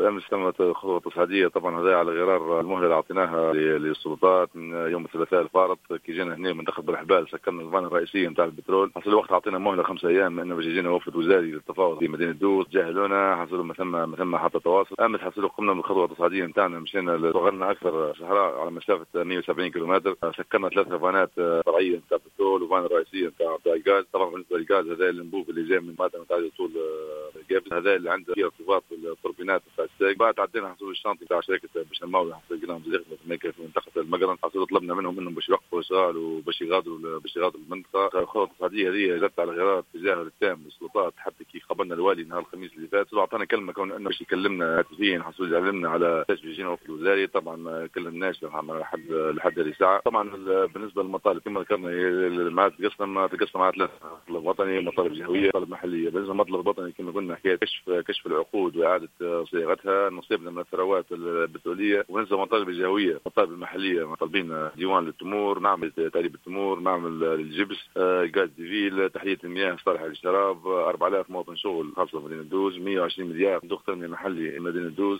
امس تمت خطوة تصعيديه، طبعا هذا على غرار المهلة اللي اعطيناها للسلطات من يوم الثلاثاء الفارط. كي جينا هنا من دخل بالحبال سكرنا ال vanne الرئيسية نتاع البترول، حصل الوقت اعطينا مهله 5 ايام انه باش يجينا وفد وزاري للتفاوض في مدينة دوز. جاهلونا، حصلوا ما ثم حتى تواصل. امس حصلوا قمنا بالخطوه التصعيديه نتاعنا، مشينا وغرنا اكثر صحراء على مسافة 170 كيلومتر، سكرنا ثلاثة فانات فرعية نتاع البترول و vanne رئيسية نتاع الغاز. طبعا بالنسبة للغاز، هذا الانبوب اللي جاي من مادة نتاع طول قابس، هذا اللي عنده فيه ارتباط بالتوربينات نتاع الساق. بعد عدينا حصول ال chantier نتاع شركة بشماوي، حصل لقيناهم في منطقة المقرن، حصلوا طلبنا منهم انهم باش يوقفوا اشغال وباش يغادروا المنطقه. الخطوة التصعيديه هذه جت على غرار التجاهل التام للسلطات، حتى كي قابلنا الوالي نهار الخميس اللي فات اعطانا كلمة كون انه باش يكلمنا هاتفيا، حصل يعلمنا على باش يجينا وفد الوزاري. طبعا ما كلمناش لحد هذه الساعه. طبعا بالنسبة للمطالب، كما ذكرنا، مع تقسم على ثلاث: مطلب وطني، مطالب جهويه، مطالب محليه. بالنسبة للمطلب الوطني، كما قلنا، حكاية كشف العقود واعاده صياغتها، نصيبنا من الثروات البتروليه. وبالنسبة للمطالب الجهويه، المطالب المحليه، طالبين ديوان للتمور، معمل تعريب التمور، معمل للجبس، gaz de ville، تحلية المياه الصالحة للشراب، 4000 موطن شغل خاصة مدينة دوز، 120 مليار صندوق تنمية محلي مدينة دوز.